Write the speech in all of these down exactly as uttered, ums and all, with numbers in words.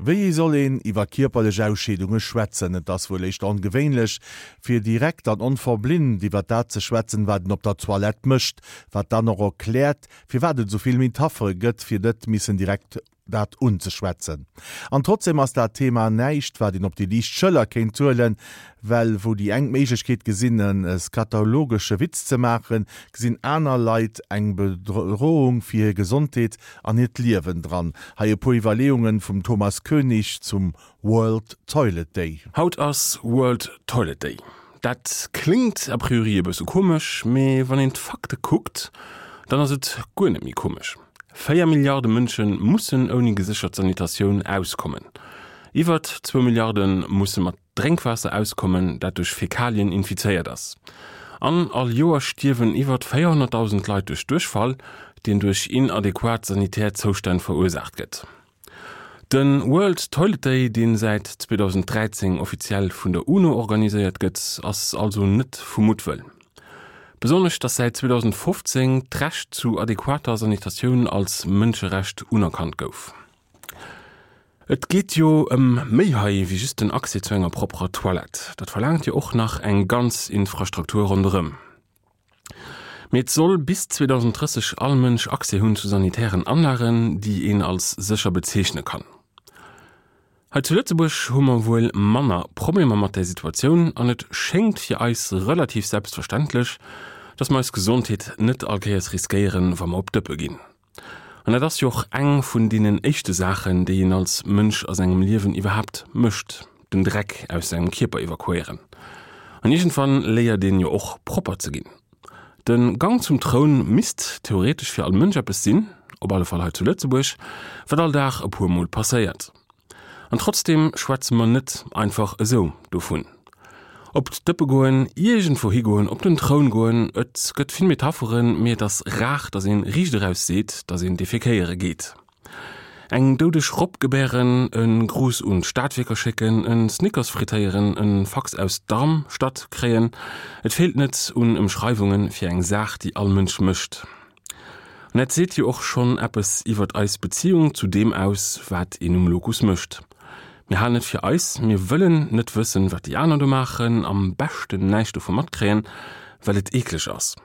Wéi soll een iwwer kierperlech Ausscheedunge schwätzen? Et ass wuel éischter ongewéinlech, fir direkt an onverblimt iwwer dat ze schwätzen, wat een op der Toilette mécht, wat dann och erkläert, firwat et esou vill Metaphere gëtt, fir net missen direkt dat unzeschwätzen. An trotzdem ass dat Thema näischt, wat een op déi liicht Schëller kéint huelen, well wou déi eng d'Méiglechkeet gesinn, e skatologesche Witz ze maachen, gesinn aner Leit eng Bedrohung fir hir Gesondheet an hiert Liewen dran. Hei e puer Iwwerleeungen vum Thomas Koenig zum World Toilet Day. Haut ass World Toilet Day. Dat kléngt a priori e bësse komesch, mee wann een d'Fakte kuckt, dann ass et guer net méi komesch. Véier Milliarde Mënsche mussen ouni geséchert Sanitatioun auskommen. Iwwert zwou Milliarde musse mat Drénkwaasser auskommen, dat duerch Fäkalien infizéiert ass. An all Joer stierwen iwwert véierhonnertdausend Leit duerch Duerchfall, deen duerch inadequat sanitär Zoustänn verursaacht gëtt. De World Toilet Day, dee säit zweedausenddräizéng offiziell vun der UNO organiséiert gëtt, ass also net vu Muttwëll. Besonnesch, dass säit zweedausendfofzéng d'Recht zu adequater Sanitatioun als Mënscherecht unerkannt gouf. Et geet jo ëm méi hei wéi just den Accès zu enger propperer Toilette. Dat verlaangt jo och nach eng ganz Infrastruktur ronderëm. Mee et soll bis zweedausendrësseg all Mënsch Accès hunn zu sanitären Anlagen, déi een als sécher bezeechne kann. Hei zu Lëtzebuerg hu mer wuel manner Problemer mat där Situatioun an et schéngt fir eis relativ selbstverständlech, dass mer eis Gesondheet net all Kéiers riskéieren, wa mer op d'Dëppe ginn. An dat ass jo och eng vun deenen éischte Saachen, déi een als Mënsch a sengem Liewen iwwerhaapt mécht, den Dreck aus sengem Kierper evakuéieren. An iergendwann léiert een jo och propper ze ginn. De Gang zum Troun misst theoretesch fir all Mënsch eppes sinn, op alle Fall hei zu Lëtzebuerg, wat all Dag e puer Mol passéiert. An trotzdeem schwätze mer net einfach esou dovun. Op d'Dëppe goen, iergendwou higoen, op den Troun goen, et gëtt vill Metapheren, mee et ass rar, datt ee riicht eraus seet, datt een defekéiere geet. Eng doudeg Robb gebären, e Gruss un d'Stadwierker schécken, e Snickers frittéieren, e Fax aus Darmstadt kréien, et feelt net un Ëmschreiwunge fir eng Saach, déi all Mënsch mécht. An dat seet jo och schonn eppes iwwert eis Beziung zu deem aus, wat een um Lokus mécht. Mir halen et fir eis, mir wëllen net wëssen, wat déi aner do maachen, am beschten näischt dovu matkréien, well et eekleg ass.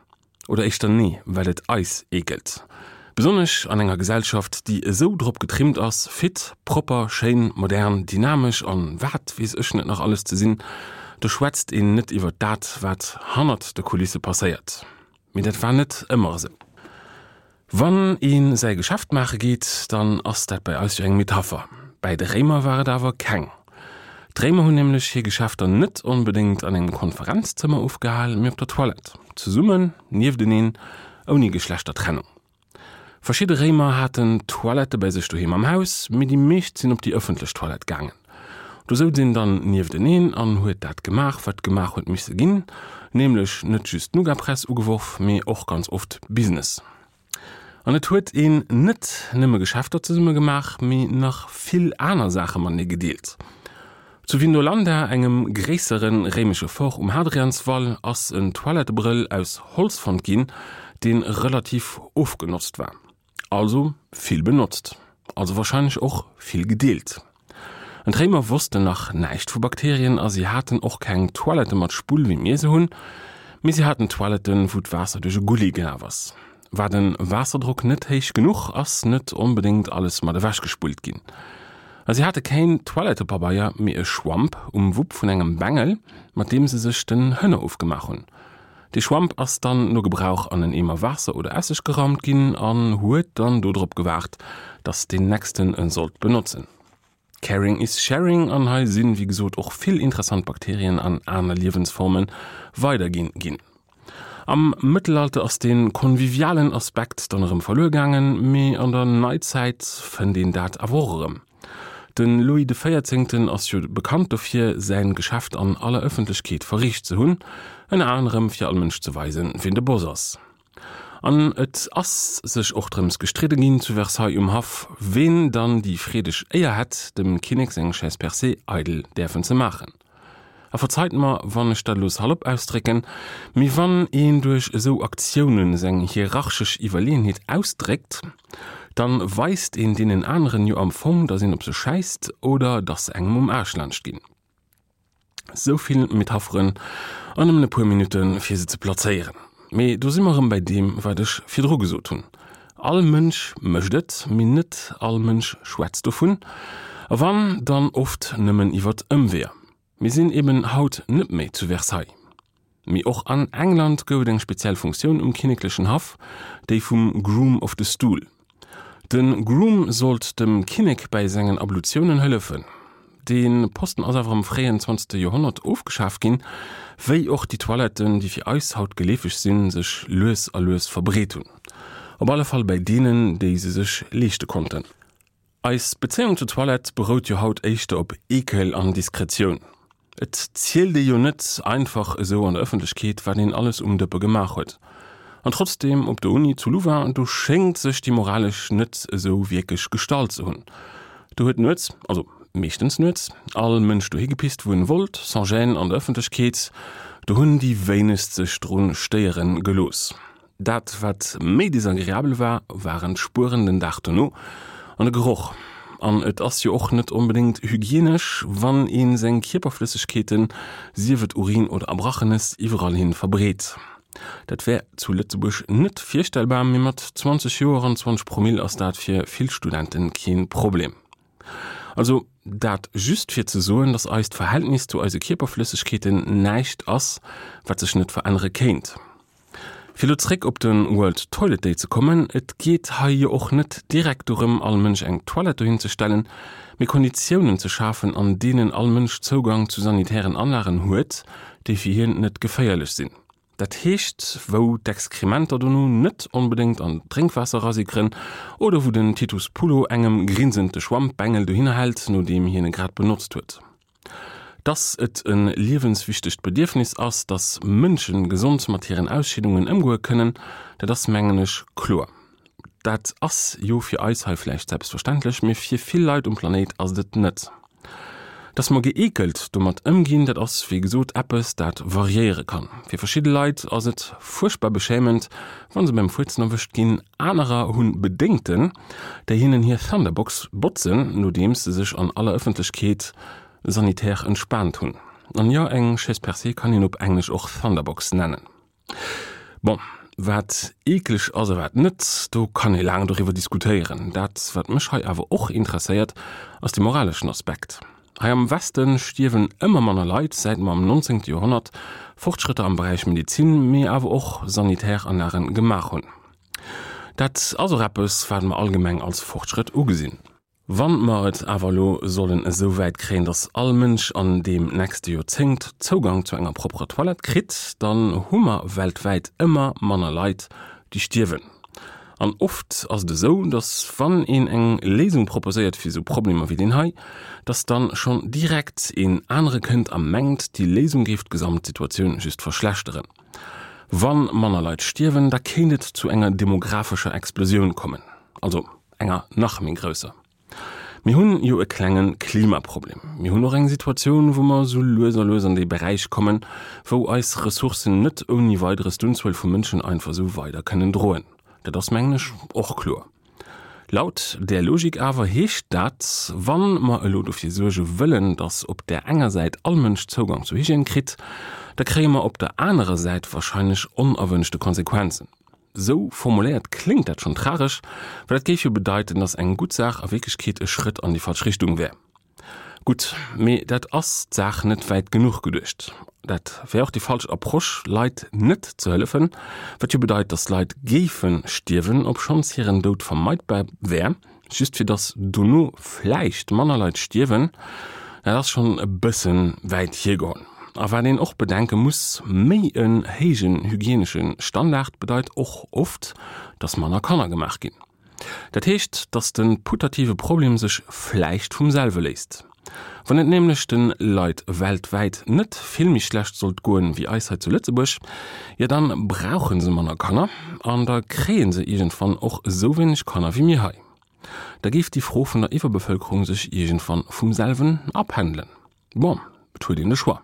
Oder éischter nee, well et eis eekelt. Besonnesch an enger Gesellschaft, déi esou drop getrimmt ass, fit, propper, schéin, modern, dynamesch an wat weess ech net nach alles ze sinn, do schwätzt een net iwwert dat, wat hannert de Kulisse passéiert. Mee dat war net ëmmer esou. Wann ee säi Geschäft maache geet, dann ass dat bei eis jo eng Metapher. Bäi de Réimer war et awer keng. D'Réimer hunn nämlech hir Geschäfter net onbedéngt an engem Konferenzzëmmer ofgehal, mee op der Toilette, zesummen, niefteneen, ouni Geschlechtertrennung. Verschidde Réimer haten Toilette bei sech doheem am Haus, mee déi meescht sinn op déi ëffentlech Toilette gaangen. Do souz een dann niefteneen an huet dat gemaach, wat gemaach huet misse ginn, nämlech net just Nougatpress ugeworf, mee och ganz oft Business. An et huet een net nëmme Geschäfter zesumme gemaach, mee nach vill aner Saache matenee gedeelt. Zu Vindolanda, engem gréissere réimesche Fort um Hadrianswall, ass en Toilettebrëll aus Holz fonnt ginn, dee relativ ofgenotzt war. Also vill benotzt. Also warscheinlech och vill gedeelt. An d'Réimer wossten nach näischt vu Bakterien a si haten och keng Toilette mat Spull wéi mir se hunn, mee si haten Toiletten, wou d'Waasser duerch e Gulli gelaf ass. War de Waasserdrock net héich genuch, ass net onbedéngt alles mat ewech gespullt ginn. A si hate keen Toilettepabeier, mee e Schwamp um Wupp vun engem Bengel, mat deem se sech den Hënner ofgemaach hunn. Dee Schwamp ass dann no Gebrauch an en Eemer Waasser oder Esseg geraumt ginn an huet dann do drop gewaart, dass deen nächsten en sollt benotzen. Caring is sharing an hei sinn, wéi gesot, och vill interessant Bakterien an aner Liewensformen weiderginn ginn. Am Mëttelalter ass dee konvivialen Aspekt dann erëm verluer gaangen, mee an der Neizäit fënnt een dat awer och erëm. De Louis de Véierzéngten ass jo bekannt dofir, säin Geschäft an aller Ëffentlechkeet verriicht ze hunn, ënner anerem fir all Mënsch ze weisen, wien de Boss ass. An et ass sech och drëms gestridde ginn zu Versailles um Haff, ween dann déi freedeg Éier hätt, dem Kinnek seng Chaise percée eidel däerfen ze maachen. A verzeit mer, wann ech dat elo salopp ausdrécken, mee wann een duerch esou Aktiounen seng hierarchesch Iwwerleeënheet ausdréckt, Dann weist een deenen aneren jo am Fong, dass een op se schäisst oder dass se engem um Aarsch laanscht ginn. Sou vill Metapheren an nëmmen e puer Minutte fir se ze plazéieren. Mee do si mer erëm bei deem, wat ech virdru gesot hunn. All Mënsch mécht et, mee net all Mënsch schwätzt dovun. A wann, dann oft nëmmen iwwert Ëmweeër. Mir sinn eben haut net méi zu Versailles. Mee och an England gouf et eng speziell Funktioun um kinneklechen Haff, déi vum Groom of the Stool. De Groom sollt dem Kinnek bäi sengen Ablutiounen hëllefen. Dee Posten ass awer am fréien zwanzegste Joerhonnert ofgeschaf ginn, wéi och déi Toiletten, déi fir eis haut geleefeg sinn, sech lues a lues verbreet hunn. Op alle Fall bäi deenen, déi se sech leeschte konnten. Eis Bezéiung zur Toilette berout jo haut éischter op Eekel an Diskretioun. Et zielt ee jo net einfach esou an der Ëffentlechkeet, wat een alles um Dëppe gemaach huet. An trotzdeem, op der Uni zu Louvain, do schéngt sech déi moralesch net esou wierklech gestallt ze hunn. Do huet nuets, also meeschtens nuets, all Mënsch dohi gepisst, wou en wollt, sans gêne an der Ëffentlechkeet. Do hunn déi wéinegst sech drun stéieren gelooss. Dat wat méi desagreabel war, waren d'Spueren den Dag dono an de Geroch. An et ass jo och net onbedéngt hygienesch, wann ee seng Kierperflëssegkeeten, sief et Urin oder Erbrachenes, iwwerall hin verbreet. Dat wär zu Lëtzebuerg net virstellbar, mee mat zwanzeg Joer an zwanzeg Promill ass dat fir vill Studenten keen Problem. Also dat just fir ze soen, dass eist Verhältnis zu eise Kierperflëssegkeeten näischt ass, wat sech net verännere kéint. Fir elo zréck op de World Toilet Day ze kommen, et geet hei jo och net direkt dorëm, all Mënsch eng Toilette dohin ze stellen, mee Konditiounen ze schafen, an deenen all Mënsch Zougang zu sanitären Anlagen huet, déi fir hien net geféierlech sinn. Dat heescht, wou d'Exkrementer dono net onbedéngt an d'Drénkwaasser erasickeren oder wou den Titus Pullo engem grinsend de Schwammbengel dohinner hält, nodeem hien e grad benotzt huet. Dass et e liewenswichtegt Bedierfnis ass, dass Mënsche gesond mat hiren Ausscheedungen ëmgoe kënnen, dat ass, mengen ech, kloer. Dat ass jo fir eis hei vläicht selbstverständlech, mee fir vill Leit um Planéit ass et et net. Dass mer gëeekelt domat ëmginn, dat ass wéi gesot eppes, dat variéiere kann. Fir verschidde Leit ass et fuerchtbar beschämend, wa se beim Fuerzen erwëscht ginn, anerer hu Bedéngten, déi hinnen hir Thunderbox botzen, nodeems se sech an aller Ëffentlechkeet sanitär entspaant hunn. An jo, eng Chaise percée kann een op Englesch och Thunderbox nennen. Bon, wat eekleg ass a wat net, do kann ee laang doriwwer diskutéieren. Dat, wat mech hei awer och interesséiert, ass de moraleschen Aspekt. Hei am Weste stierwen ëmmer manner Leit, säit mer am nonzéngte Joerhonnert Fortschrëtter am Beräich Medezin, mee awer och Sanitäranlagen gemaach hunn. Dat ass och eppes, wat mer allgemeng als Fortschrëtt ugesinn. Wann mer et awer elo sollen esou wäit kréien, dass all Mënsch an deem nächste Joerzéngt Zougang zu enger propperer Toilette kritt, dann hu mer weltwäit ëmmer manner Leit, déi stierwen. An oft ass et esou, dass wann een eng Léisung proposéiert fir esou Problemer wéi deen hei, dass dann schonn direkt een anere kënnt a mengt, déi Léisung géif d'Gesamtsituatioun just verschlechteren. Wann manner Leit stierwen, da kéint et zu enger demographescher Explosioun kommen, also enger nach méi grousser. Mir hunn jo e klenge Klimaproblem. Mir hunn och eng Situatioun, wou mer esou lues a lues an dee Beräich kommen, wou eis Ressourcen net ouni Weideres d'Unzuel vu Mënschen einfach esou weider kënnen droen. Dat ass, mengen ech, och kloer. Laut där Logik awer heescht dat, wa mer elo dofir suerge wëllen, datt op där enger Säit all Mënsch Zougang zu Hygiène kritt, da kréie mer op der anerer Säit wahrscheinlech onerwënschte Konsequenzen. Sou formuléiert kléngt dat schonn tragesch, well dat géif jo bedeiten, datt eng gutt Saach a Wierklechkeet e Schrëtt an déi falsch Richtung wär. Gutt, mee dat ass d'Saach net wäit genuch geduecht. Dat wär och déi falsch Approche, Leit net ze hëllefen, wat jo bedeit, datt Leit géife stierwen, obschonns hiren Doud vermeidbar wär, just fir datt dono vläicht manner Leit stierwen. Dat ass schonn e bësse wäit hiergeholl. A wat een och bedenke muss, méi en héijen hygienesche Standard bedeit och oft, dass manner Kanner gemaach ginn. Dat heescht, dass de putative Problem sech vläicht vum selwe léist. Wann et nämlech de Leit weltwäit net vill méi schlecht sollt goen wéi eis hei zu Lëtzebuerg, jo dann brauche se manner Kanner an da kréie se iergendwann och esou wéineg Kanner wéi mir hei. Da géif déi Fro vun der Iwwerbevëlkerung sech iergendwann vum selwen apendelen. Bon, Et huet een de Choix.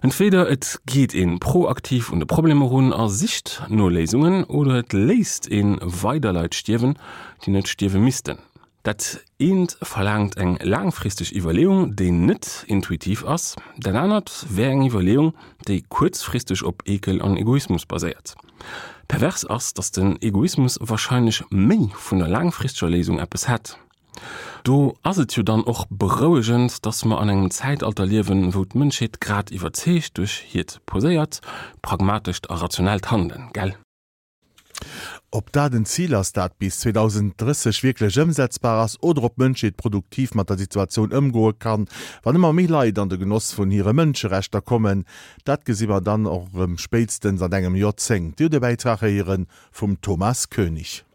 Entweder et geet een proaktiv un de Problem erun a sicht no Léisungen oder et léisst ee weider Leit stierwen, déi net stierwe missten. Dat eent verlaangt eng laangfristeg Iwwerleeung, déi net intuitiv ass, dat anert wär eng Iwwerleeung, déi kuerzfristeg op Eekel an Egoismus baséiert. Pervers ass, datt den Egoismus warscheinlech méi vun der laangfristeger Léisung eppes hätt. Do ass et jo dann och berouegend, datt mer an engem Zäitalter liewen, wou d'Mënschheet grad iwwerzeegt duerch hiert poséiert, pragmatescht a rationellt Handelen, gell? Ob dat en Zil ass, dat bis zweedausenddrësseg wierklech ëmsetzbar ass, oder ob d'Mënschheet produktiv mat der Situatioun ëmgoe kann, wann ëmmer méi Leit an de Genoss vun hire Mënscherechter kommen, dat gesi mer dann och erëm spéitstens an engem Joerzéngt. Dir hutt e Bäitrag héiere vum Thomas Koenig.